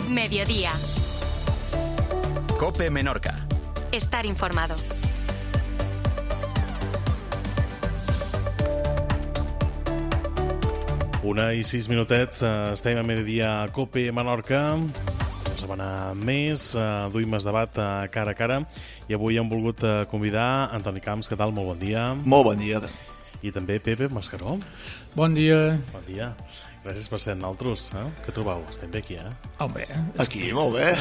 Mediodía. COPE Menorca. Estar informado. Una i 6 minutets, estem a mediodía a COPE Menorca. Una setmana més, duim el debat cara a cara i avui hem volgut convidar Antoni Camps. Què tal? Molt bon dia. Molt bon dia. I també Pepe Mascaró. Bon dia. Bon dia. Gràcies per ser nosaltres. Què trobeu? Estem bé aquí, Home, Aquí, molt bé.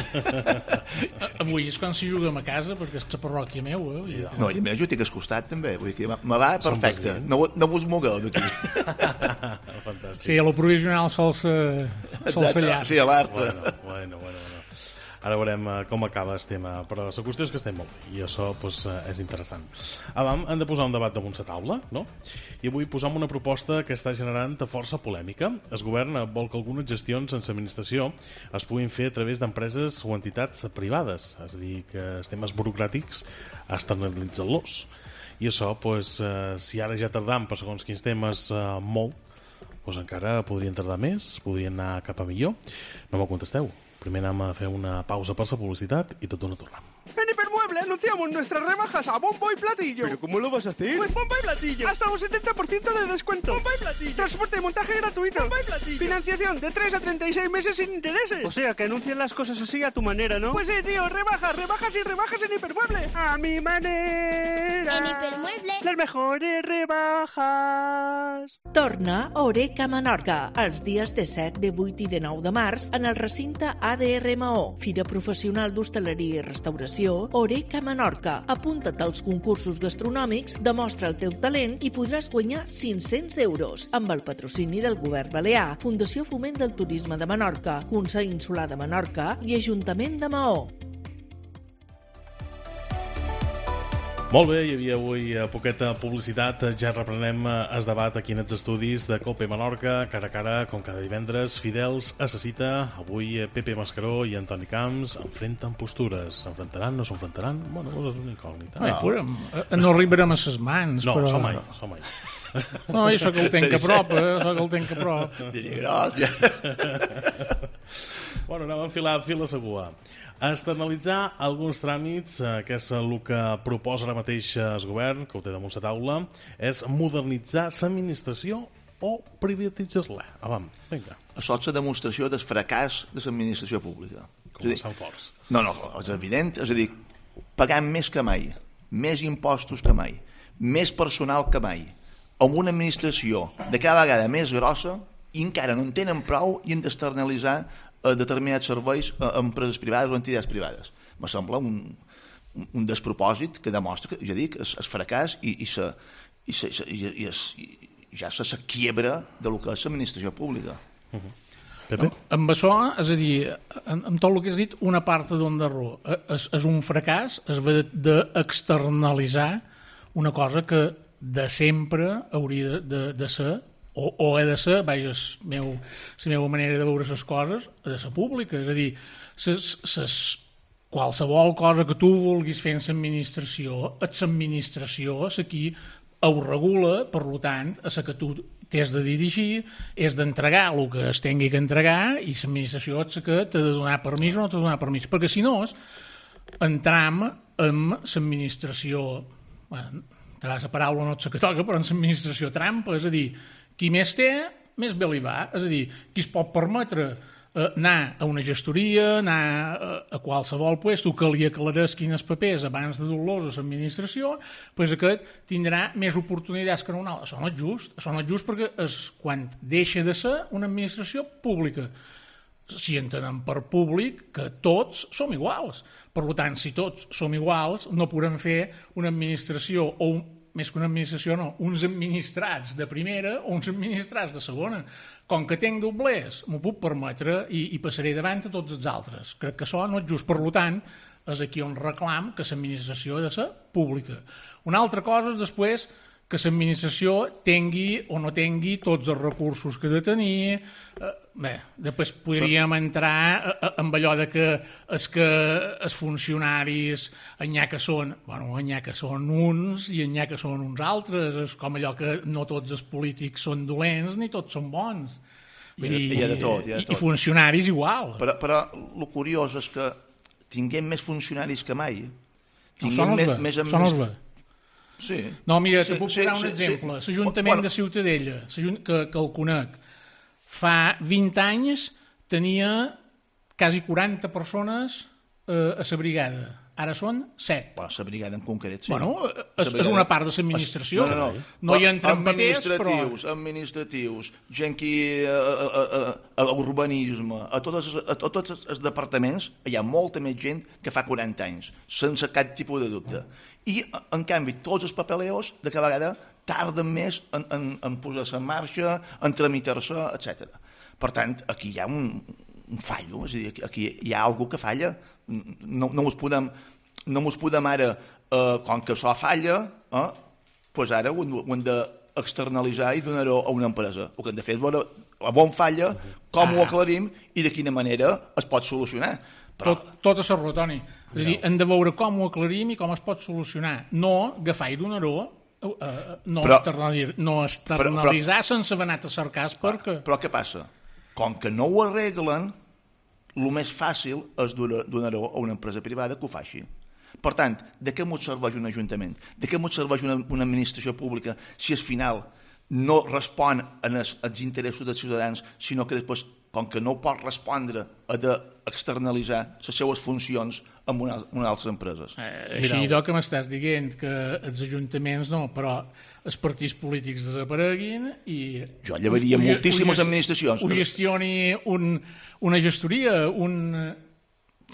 avui és quan si juguem a casa, perquè és la parròquia meu. No, i a més jo estic al costat també. Vull dir que me va Som perfecte. presidents. No vos mogueu d'aquí. Fantàstic. Sí, a lo provisional sols allà. Sí, a l'art. Bueno. Ara veurem com acaba el tema, però la qüestió és que estem molt bé i això pues, és interessant. Abans hem de posar un debat damunt la taula, no? I avui posam una proposta que està generant força polèmica. El govern vol que algunes gestions en l'administració es puguin fer a través d'empreses o entitats privades, és a dir, que els temes burocràtics externalitzen-los. I això, pues, si ara ja tardam per segons quins temes molt, pues encara podrien tardar més, podrien anar cap a millor. No m'ho contesteu. Primer anem a fer una pausa per la publicitat i tot d'una tornem. En Hipermueble anunciamos nuestras rebajas a bombo y platillo. ¿Pero cómo lo vas a hacer? Pues bombo y platillo. Hasta un 70% de descuento. Bombo y platillo. Transporte y montaje gratuito. Bombo y platillo. Financiación de 3 a 36 meses sin intereses. O sea, que anuncian las cosas así a tu manera, ¿no? Pues sí, tío, rebajas y rebajas en Hipermueble. A mi manera. En Hipermueble. Las mejores rebajas. Torna a Oreca Menorca els dies de 7, de 8 i de 9 de març en el recinte ADRMO, Fira Professional d'Hostaleria i Restauració Oreca Menorca. Apunta't als concursos gastronòmics, demostra el teu talent i podràs guanyar 500 euros amb el patrocini del Govern Balear, Fundació Foment del Turisme de Menorca, Consell Insular de Menorca i Ajuntament de Maó. Molt bé, hi havia avui poqueta publicitat. Ja reprenem el debat aquí en els estudis de COPE Menorca, cara a cara, com cada divendres, fidels a la cita. Avui Pepe Mascaró i Antoni Camps enfrenten postures. S'enfrontaran, no s'enfrontaran? Bueno, és una incògnita. No arribarem a ses mans, No, però... som mai. No, això que el tenc a prop, Diria gros, ja. Bueno, anem a enfilar fil a segura. Externalitzar alguns tràmits, que és el que proposa ara mateix el govern, que ho té damunt la taula, és modernitzar l'administració o privatitzar-la. Avam, vinga. Això és la demostració del fracàs de l'administració pública. Començant forts. No, és evident. És a dir, pagant més que mai, més impostos que mai, més personal que mai, amb una administració de cada vegada més grossa i encara no en tenen prou i han d'externalitzar determinats serveis a empreses privades o entitats privades. Me sembla un despropòsit que demostra, ja dic, el fracàs i ja la quiebra de lo que és l'administració pública. Pepe? Amb això, és a dir, amb tot el que has dit, una part d'on de raó. És un fracàs, es va d'externalitzar una cosa que de sempre hauria de ser, o ha de ser, vaja, la meva manera de veure les coses, ha de ser pública. És a dir, qualsevol cosa que tu vulguis fer en l'administració, és l'administració és qui ho regula, per tant, és que tu t'has de dirigir, has d'entregar el que es tingui que entregar i l'administració és que t'ha de donar permís o no t'ha de donar permís. Perquè si no, entram en l'administració, bueno, la paraula no és la que toca, però en l'administració trampa, és a dir, qui més té, més bé li va. És a dir, qui es pot permetre anar a una gestoria, anar a qualsevol lloc que li aclareix quines papers abans de dur-los a l'administració, doncs aquest tindrà més oportunitats que un altre. Això no és just. Això no és just perquè és quan deixa de ser una administració pública. Si entenem per públic que tots som iguals. Per tant, si tots som iguals, no podem fer una administració o més que una administració, no, uns administrats de primera o uns administrats de segona. Com que tenc doblers, m'ho puc permetre i passaré davant a tots els altres. Crec que això no és just. Per tant, és aquí on reclam que l'administració ha de ser pública. Una altra cosa és després que l'administració tingui o no tingui tots els recursos que ha de tenir. Bé, després podríem entrar amb allò de que els funcionaris n'hi ha que són uns i n'hi ha que són uns altres. És com allò que no tots els polítics són dolents ni tots són bons. Hi ha de tot. I funcionaris igual. Però el curiós és que tinguem més funcionaris que mai. Són els bé. Sí. No, mira, te puc posar un exemple. L'Ajuntament de Ciutadella, que el conec, fa 20 anys tenia quasi 40 persones a la brigada. Ara són 7. Bueno, la brigada en concret, sí. Bueno, és una part de l'administració. No hi entren papers, però... Administratius, gent que a urbanisme, a tots els departaments hi ha molta més gent que fa 40 anys, sense cap tipus de dubte. I, en canvi, tots els papeleos, de cada vegada, tarden més en posar-se en marxa, en tramitar-se, etc. Per tant, aquí hi ha un fallo, és a dir, aquí hi ha alguna que falla. No ens podem ara, com que això falla, doncs ara ho hem d'externalitzar i donar-ho a una empresa. El que hem de fer és veure on falla, com ho aclarim i de quina manera es pot solucionar. Tot a serró, Toni. És a dir, hem de veure com ho aclarim i com es pot solucionar. No agafar i donar-ho, no externalitzar sense haver anat a cercar perquè... Però què passa? Com que no ho arreglen, el més fàcil és donar-ho a una empresa privada que ho faci. Per tant, de què ens serveix un ajuntament? De què ens serveix una administració pública si al final no respon als interessos dels ciutadans, sinó que després, com que no pot respondre, ha d'externalitzar les seues funcions amb unes altres empreses? Així que m'estàs dient que els ajuntaments no, però els partits polítics desapareguin i... Jo llevaria moltíssimes administracions. Ho gestioni una gestoria,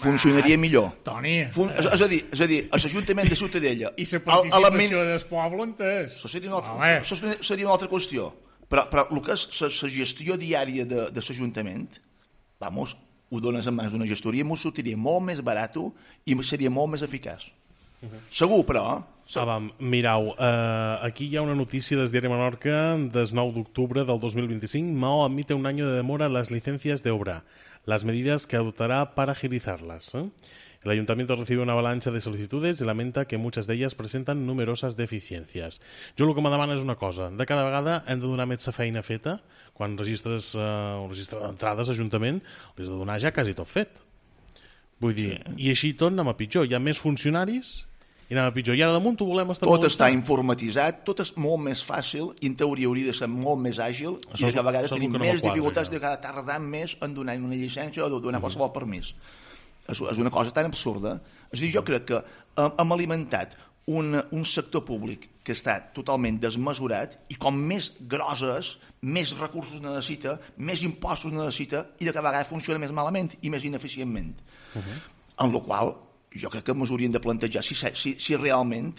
funcionaria millor. Toni... És a dir, l'Ajuntament de Ciutadella... I la participació del poble, entès? Això seria una altra qüestió. Però el que és la gestió diària de l'Ajuntament, ho dones en mans d'una gestoria, m'ho sortiria molt més barat i seria molt més eficaç. Segur, però... Mirau, aquí hi ha una notícia del diari Menorca del 9 d'octubre del 2025. Mao admite un año de demora en las licencias de obra, las medidas que adoptará para agilizarlas. El ayuntamiento recibe una avalancha de solicitudes y lamenta que muchas de ellas presentan numerosas deficiencias. Jo el que me demana és una cosa. De cada vegada hem de donar més la feina feta. Quan registres un registre d'entrades a l'Ajuntament, l'has de donar ja quasi tot fet. Vull dir, i així tot anem a pitjor. Hi ha més funcionaris i anem a pitjor. I ara damunt ho volem estar... Tot està informatitzat, tot és molt més fàcil, i en teoria hauria de ser molt més àgil, i cada vegada tenim més dificultats de tardar més en donar una llicència o de donar qualsevol permís. És una cosa tan absurda. És a dir, jo crec que hem alimentat un sector públic que està totalment desmesurat i com més grosses, més recursos necessita, més impostos necessita i de cada vegada funciona més malament i més ineficientment. En la qual jo crec que ens hauríem de plantejar si realment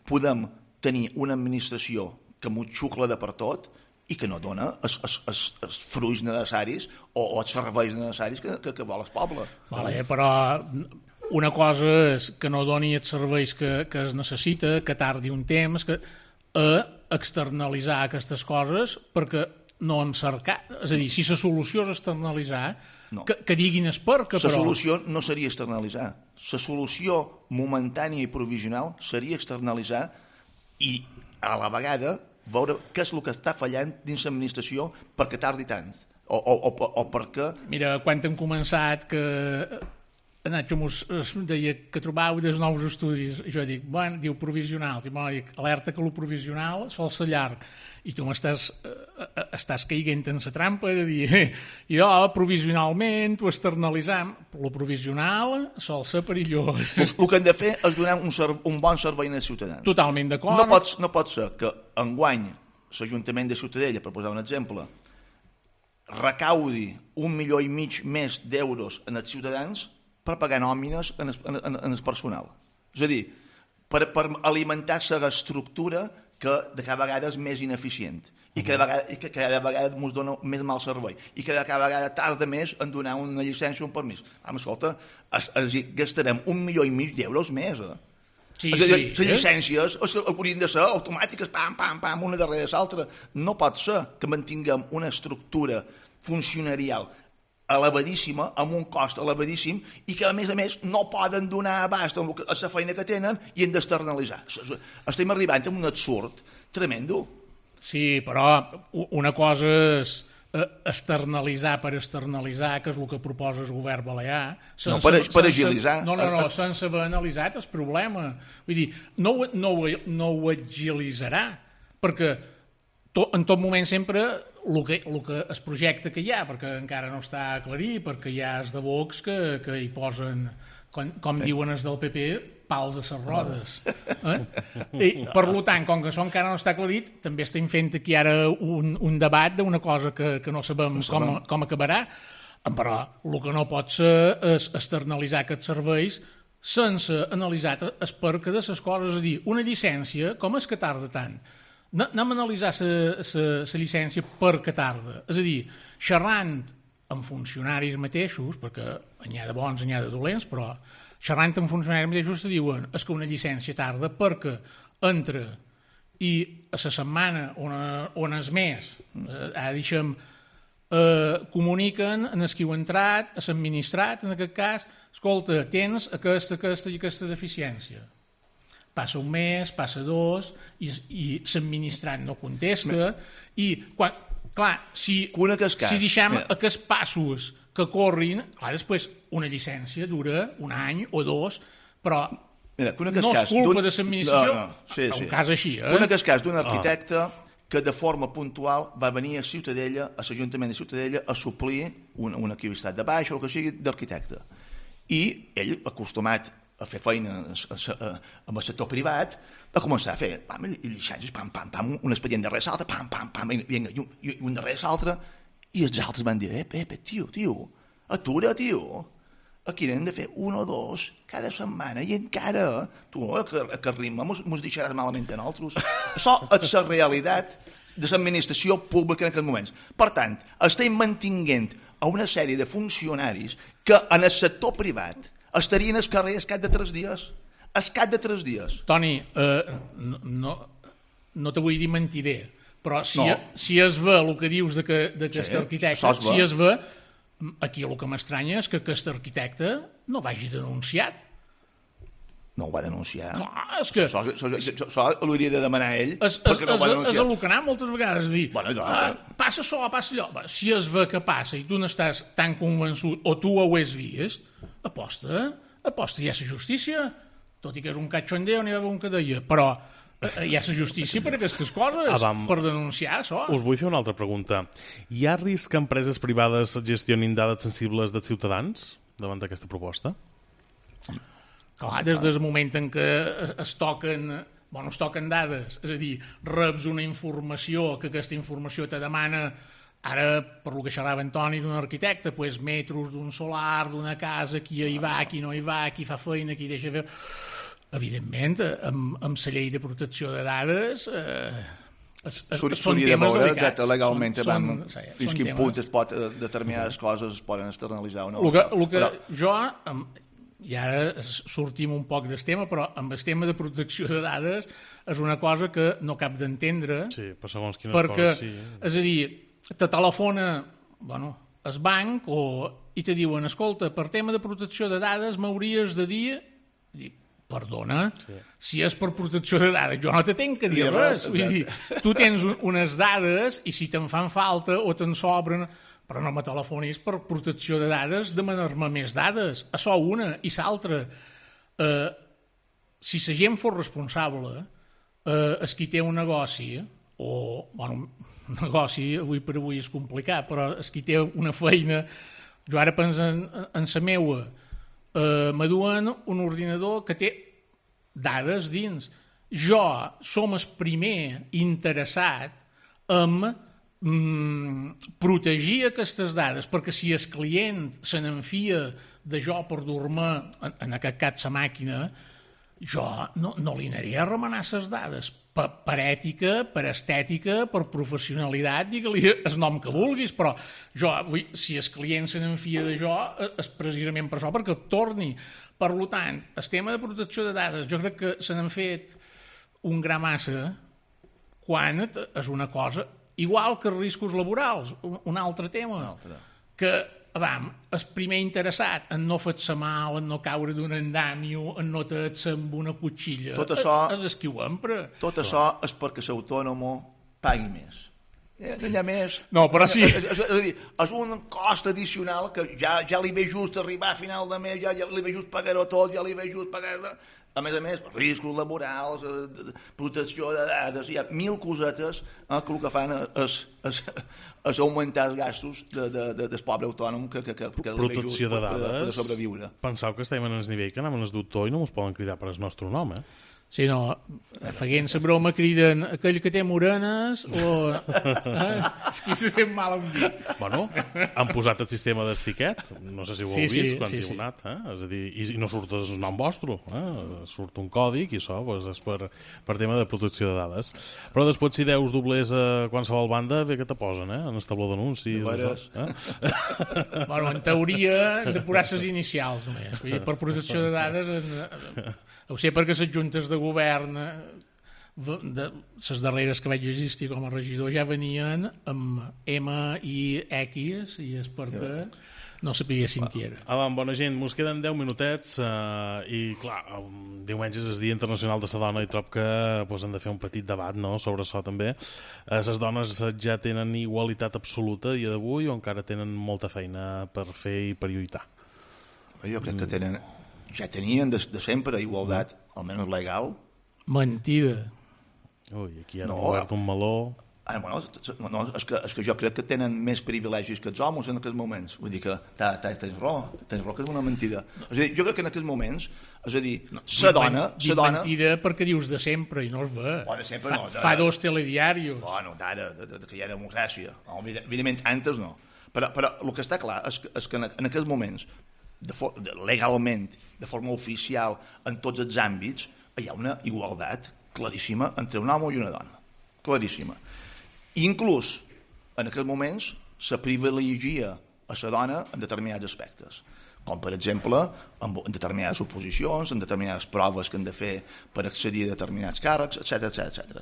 podem tenir una administració que m'ho xucla de per tot i que no dona els fruits necessaris o els serveis necessaris que vol el poble. Però una cosa és que no doni els serveis que es necessita, que tardi un temps, que externalitzar aquestes coses perquè no en cercar. És a dir, si la solució és externalitzar, que diguin es perquè, però... La solució no seria externalitzar. La solució momentània i provisional seria externalitzar i a la vegada veure què és el que està fallant dins l'administració perquè tardi tant o perquè... Mira, quan hem començat que Nacho ens deia que trobàveu dels nous estudis, jo dic, bueno, diu provisional, dic, alerta que el provisional sol ser llarg, i tu estàs caiguent en la trampa de dir, jo provisionalment ho externalitzam, però el provisional sol ser perillós. El que hem de fer és donar un bon servei als ciutadans. Totalment d'acord. No pot ser que enguany l'Ajuntament de Ciutadella, per posar un exemple, recaudi 1,5 milió més d'euros en els ciutadans per pagar nòmines en el personal. És a dir, per alimentar l'estructura que de cada vegada és més ineficient i que cada vegada ens dona més mal servei i que cada vegada tarda més en donar una llicència o un permís. Escolta, gastarem 1,5 milió d'euros més, Sí, és a dir, les llicències haurien de ser automàtiques, pam, pam, pam, una darrere l'altra. No pot ser que mantinguem una estructura funcionarial elevadíssima, amb un cost elevadíssim, i que a més no poden donar abast a la feina que tenen i han d'externalitzar. Estem arribant a un absurd tremendo. Sí, però una cosa és externalitzar per externalitzar, que és el que proposa el govern balear. Per agilitzar. No, sense haver analitzat el problema. Vull dir, no ho agilitzarà, perquè en tot moment sempre el que es projecta que hi ha, perquè encara no està aclarit, perquè hi ha els de Vox que hi posen, com diuen els del PP, pals a les rodes. I, per tant, com que això encara no està aclarit, també estem fent aquí ara un debat d'una cosa que no sabem com acabarà, però el que no pot ser és externalitzar aquests serveis sense analitzar el perquè de les coses. És a dir, una llicència, com és que tarda tant? Anem a analitzar la llicència per què tarda. És a dir, xerrant amb funcionaris mateixos, perquè n'hi ha de bons, n'hi ha de dolents, però xerrant amb funcionaris mateixos te diuen és que una llicència tarda perquè entra i a la setmana on és més, deixem, comuniquen en el que heu entrat, a l'administrat, en aquest cas, escolta, tens aquesta i aquesta deficiència. Passa un mes, passa dos, i l'administrat no contesta, i quan, clar, si deixem aquests passos que corrin, clar, després una llicència dura un any o dos, però no és culpa de l'administració, un cas així. Un cas d'un arquitecte que de forma puntual va venir a Ciutadella, a l'Ajuntament de Ciutadella, a suplir una activitat de baix o el que sigui d'arquitecte. I ell, acostumat a fer feina amb el sector privat, va començar a fer llicències, un expedient darrere l'altre, i un darrere l'altre, i els altres van dir, tio, atura, tio, aquí n'hem de fer un o dos cada setmana, i encara, tu, que ritme mos deixaràs malament a nosaltres. Això és la realitat de l'administració pública en aquests moments. Per tant, estem mantinguent a una sèrie de funcionaris que en el sector privat estarien al carrer al cap de 3 dies. Al cap de 3 dies. Toni, no te vull dir mentider, però si es ve el que dius d'aquest arquitecte, si es ve, aquí el que m'estranya és que aquest arquitecte no vagi denunciat. No ho va denunciar. No, és que... Això l'hauria de demanar ell, perquè no ho va denunciar. És el que anà moltes vegades, dir, passa això, passa allò. Si es ve que passa i tu n'estàs tan convençut, o tu ho has vist, aposta ja a la justícia, tot i que és un cachondeo, n'hi va haver un que deia, però hi ha la justícia per aquestes coses, per denunciar això. Us vull fer una altra pregunta. Hi ha risc que empreses privades gestionin dades sensibles dels ciutadans davant d'aquesta proposta? Clar, des del moment en què es toquen dades, és a dir, reps una informació, que aquesta informació te demana, ara, per lo que xerrava Antoni d'un arquitecte, doncs metros d'un solar, d'una casa, qui hi va, qui no hi va, qui fa feina, qui deixa fer... Evidentment, amb la llei de protecció de dades són temes delicats. Legalment, fins quin punt es pot determinades coses es poden externalitzar o no. El que jo... I ara sortim un poc del tema, però amb el tema de protecció de dades és una cosa que no cap d'entendre, per segons quines perquè, coses, és a dir, te telefona el banc i te diuen, escolta, per tema de protecció de dades m'hauries de dir, perdona, si és per protecció de dades, jo no te tenc que dir res. Vull dir, tu tens unes dades i si te'n fan falta o te'n sobren... Però no me telefonis per protecció de dades, demanar-me més dades. Això una i l'altra. Si la gent fos responsable, és qui té un negoci, un negoci avui per avui és complicat, però és qui té una feina, jo ara penso en la meua, m'aduen un ordinador que té dades dins. Jo som el primer interessat en protegir aquestes dades, perquè si el client se n'enfia de jo per dur-me, en aquest cas la màquina, jo no li aniré a remenar les dades per ètica, per estètica, per professionalitat, digue-li el nom que vulguis, però jo, si el client se n'enfia de jo, és precisament per això, perquè torni. Per tant, el tema de protecció de dades, jo crec que se n'han fet un gra massa quan és una cosa... Igual que els riscos laborals, un altre tema, que el primer interessat en no fer-se mal, en no caure d'un andamio, en no fer-se amb una cotxilla, és el qui ho empra. Tot això és perquè l'autònom pagui més. No hi ha més. No, però sí. És a dir, és un cost addicional que ja li ve just arribar a final de mes, ja li ve just pagar-ho tot, ja li ve just pagar... A més, riscos laborals, protecció de dades, hi ha 1000 cosetes que el que fan és augmentar els gastos del pobre autònom que Protecció de dades. per sobreviure. Penseu que estem en el nivell que anem en el doctor i no ens poden cridar per el nostre nom, Sí, no, feient la broma criden aquell que té morenes o... És que s'ha fet mal a un dit. Bueno, han posat el sistema d'estiquet, no sé si ho heu vist quan hi heu anat, és a dir, i no surt el nom vostre, surt un còdic i això pues, és per tema de protecció de dades. Però després si deus doblers a qualsevol banda, bé que te posen, en el tabló d'anuncis. Bueno, en teoria hem de posar les inicials només. Vull dir, per protecció de dades... Ho sé perquè les juntes de govern, les darreres que vaig existir com a regidor, ja venien amb M i X i és perquè no sapiguessin qui era. Bona gent, mos queden 10 minutets i clar, diumenge és el Dia Internacional de la Dona i trob que hem de fer un petit debat sobre això també. Les dones ja tenen igualitat absoluta a dia d'avui o encara tenen molta feina per fer i per lluitar? Jo crec que ja tenien de sempre igualtat, almenys legal. Mentida. Ui, aquí han obert un meló. És que jo crec que tenen més privilegis que els homes en aquests moments. Vull dir que tens raó que és una mentida. És a dir, jo crec que en aquests moments, és a dir, la dona... mentida perquè dius de sempre i no es ve. Fa 2 telediarios. Bueno, d'ara, que hi ha democràcia. Evidentment, antes no. Però el que està clar és que en aquests moments, legalment, de forma oficial, en tots els àmbits, hi ha una igualtat claríssima entre un home i una dona. Claríssima. Inclús, en aquests moments, se privilegia a la dona en determinats aspectes, com per exemple en determinades oposicions, en determinades proves que han de fer per accedir a determinats càrrecs, etc.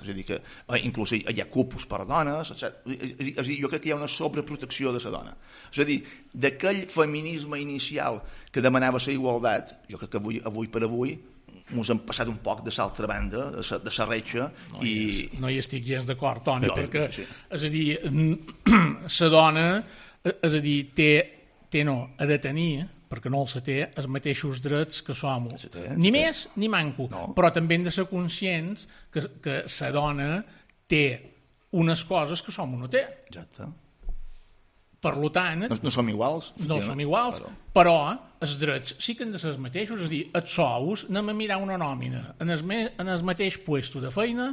És a dir, que inclús hi ha cupos per dones, etc. És a dir, jo crec que hi ha una sobreprotecció de la dona. És a dir, d'aquell feminisme inicial que demanava la igualtat, jo crec que avui per avui ens hem passat un poc de l'altra banda, de la reixa. No hi estic gens d'acord, Toni, perquè, és a dir, la dona, és a dir, ha de tenir, perquè no els té, els mateixos drets que som. Ni més ni manco. Però també hem de ser conscients que la dona té unes coses que som no té. Exacte. Per tant... No som iguals. No som iguals, però els drets sí que han de ser els mateixos. És a dir, els sous, anem a mirar una nòmina. En el mateix puesto de feina,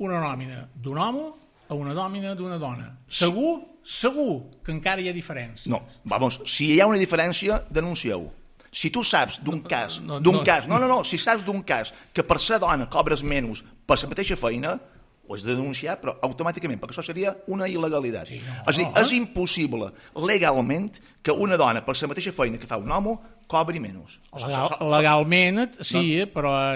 una nòmina d'un home a una nòmina d'una dona. Segur que encara hi ha diferència. No, si hi ha una diferència, denuncieu. Si tu saps d'un cas, si saps d'un cas que per ser dona cobres menys per la mateixa feina, ho has de denunciar, però automàticament, perquè això seria una il·legalitat. És a dir, és impossible legalment que una dona per la mateixa feina que fa un home cobri menys. Legalment, sí, però...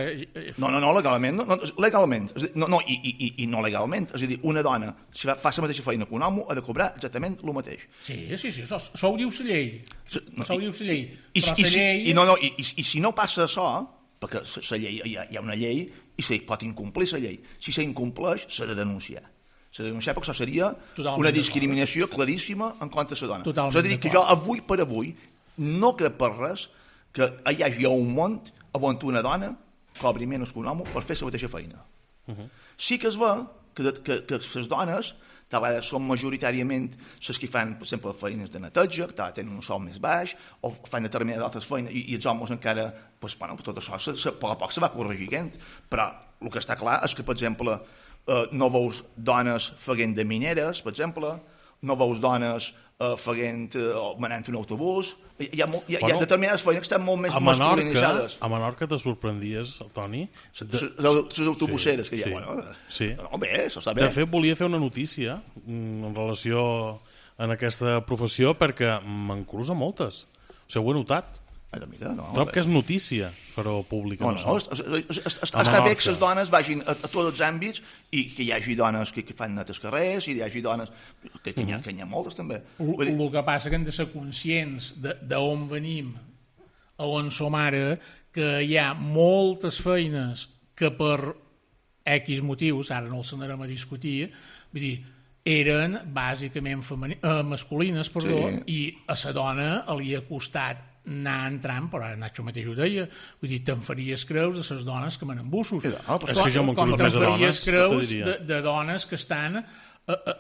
No, legalment. Legalment. No, i no legalment. És a dir, una dona, si fa la mateixa feina que un home, ha de cobrar exactament el mateix. Sí, això ho diu la llei. Això ho diu la llei. Però la llei... I si no passa això, perquè la llei, hi ha una llei i se pot incomplir la llei. Si s'incompleix, s'ha de denunciar. S'ha de denunciar perquè això seria una discriminació claríssima en contra de la dona. És a dir, que jo avui per avui no crec per res que hi hagi un món on una dona cobri menys que un home per fer la mateixa feina. Sí que es ve que les dones són majoritàriament les que fan, per exemple, feines de neteja, que tenen un sou més baix, o fan determinades altres feines, i els homes encara, tot això a poc a poc se va corregint, però el que està clar és que, per exemple, no veus dones fent de mineres, per exemple, no veus dones manant un autobús, hi ha determinades feines que estan molt més masculinitzades. A Menorca te sorprendies, Toni? Les autobuseres que hi ha. Sí. Bé, això està bé. De fet, volia fer una notícia en relació en aquesta professió perquè me'n cruza moltes. O sigui, ho he notat. Trob que és notícia fer-ho públic. Està bé que les dones vagin a tots els àmbits i que hi hagi dones que fan net els carrers i hi hagi dones que hi ha moltes també. El que passa que hem de ser conscients d'on venim, a on som ara, que hi ha moltes feines que per X motius, ara no els anarem a discutir, vull dir, eren bàsicament masculines, i a la dona li ha costat anar entrant, però ara Nacho mateix ho deia, vull dir, te'n faries creus de les dones que manen bussos. És que jo m'encuro més de dones, creus de dones que estan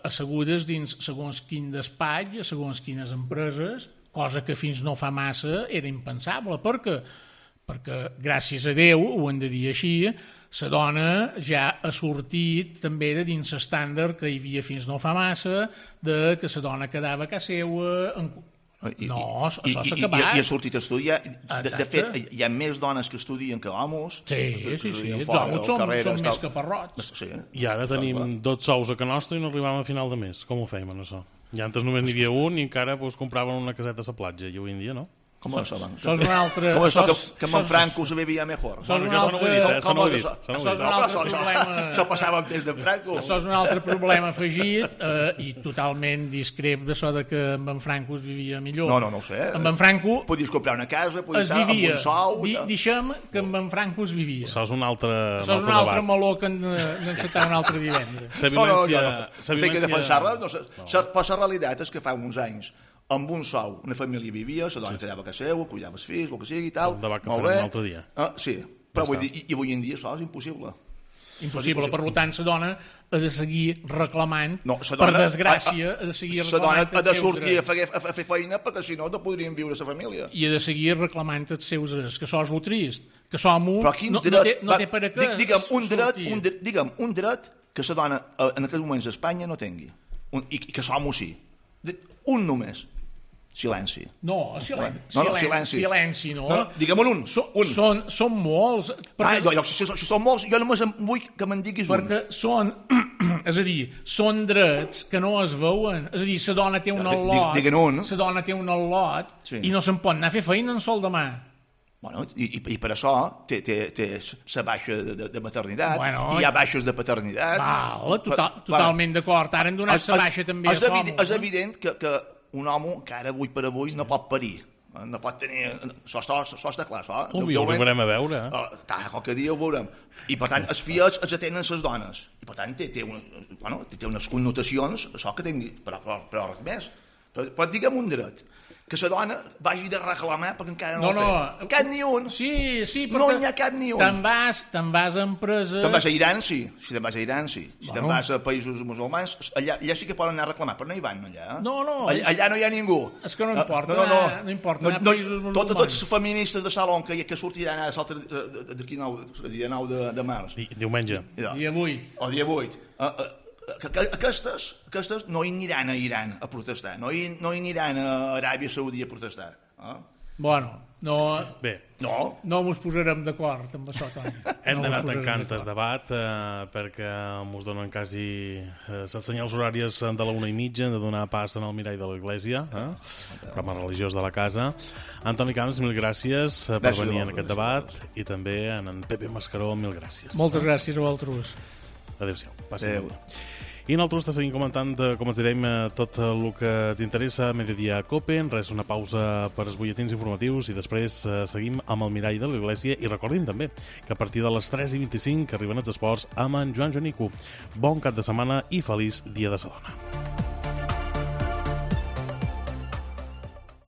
assegudes dins segons quin despatx, segons quines empreses, cosa que fins no fa massa era impensable, perquè gràcies a Déu, ho hem de dir així, la dona ja ha sortit també de dins l'estàndard que hi havia fins no fa massa, de que la dona quedava a casa seva... No, això s'ha acabat. I ha sortit a estudiar. De fet, hi ha més dones que estudien que homes. Sí. Els homes són més caparrots. I ara tenim 12 sous a Can Nostra i no arribàvem a final de mes. Com ho fèiem, això? I antes només n'hi havia un i encara compraven una caseta a la platja. I avui en dia no. Com això, Sos un altre... Com això que Manfranco se vivia mejor. Això no ho he dit, això no ho he dit. Això passava amb temps de Franco. Això és un altre problema afegit i totalment discrep d'això que amb en Franco es vivia millor. No ho sé. Amb en Franco... Podies comprar una casa, podies estar amb un sou... Deixem que amb en Franco es vivia. Això és un altre meló que hem d'encetar un altre divendres. No sé què defensar-la. Però la realitat és que fa uns anys amb un sou, una família vivia, la dona quedava a casa seva, cuidava els fills, el que sigui i tal. Un debat que farem un altre dia. Sí, però vull dir, i avui en dia això és impossible. Impossible, per tant, la dona ha de seguir reclamant, per desgràcia, ha de seguir reclamant... La dona ha de sortir a fer feina perquè si no podrien viure la família. I ha de seguir reclamant els seus drets, que això és el trist, que som un... No té per a què... Digue'm un dret que la dona en aquests moments a Espanya no tingui, i que som-ho sí. Un només. Silenci. No, silenci, no. Digue'm un. Són molts. Si són molts, jo només vull que me'n diguis un. Perquè són, és a dir, són drets que no es veuen. És a dir, la dona té un al·lot, la dona té un al·lot i no se'n pot anar a fer feina en sol demà. Bueno, i per això té la baixa de maternitat, i hi ha baixes de paternitat. Totalment d'acord. Ara han donat la baixa també a homes. És evident que un home que ara avui per avui no pot parir, no pot tenir... Això està clar, això. Ho veurem a veure. Qualque dia ho veurem. I per tant, els fills els atenen les dones. I per tant, té unes connotacions, això que tingui, però res més. Però digue'm un dret, que la dona vagi de reclamar perquè encara no té. Cap ni un. Sí, perquè... No n'hi ha cap ni un. Te'n vas a empreses... Te'n vas a Iran, sí. Si te'n vas a Iran, sí. Si te'n vas a països musulmans, allà sí que poden anar a reclamar, però no hi van, allà. No. Allà no hi ha ningú. És que no importa. No importa anar a països musulmans. Tots els feministes de Salon que sortiran d'aquí 9 de març. Diumenge. Dia 8. O dia 8. Aquestes no hi aniran a Iran a protestar, no hi aniran a Aràbia Saudí a protestar. Bueno, no mos posarem d'acord amb això, Toni. Hem d'anar tancant el debat perquè mos donen quasi els senyals horaris de la 1:30, hem de donar pas en el mirall de l'església, programa religiós de la casa. Antoni Camps, mil gràcies per venir en aquest debat, i també en Pepe Mascaró, mil gràcies. Moltes gràcies a vosaltres. Adéu-siau. Adéu. I nosaltres te seguim comentant, com ens direm, tot el que t'interessa a Mediodía Cope. Res, una pausa per als butlletins informatius i després seguim amb el mirall de l'Església. I recordin també que a partir de les 3:25 arriben els esports amb en Joan Jonico. Bon cap de setmana i feliç Dia de la Dona.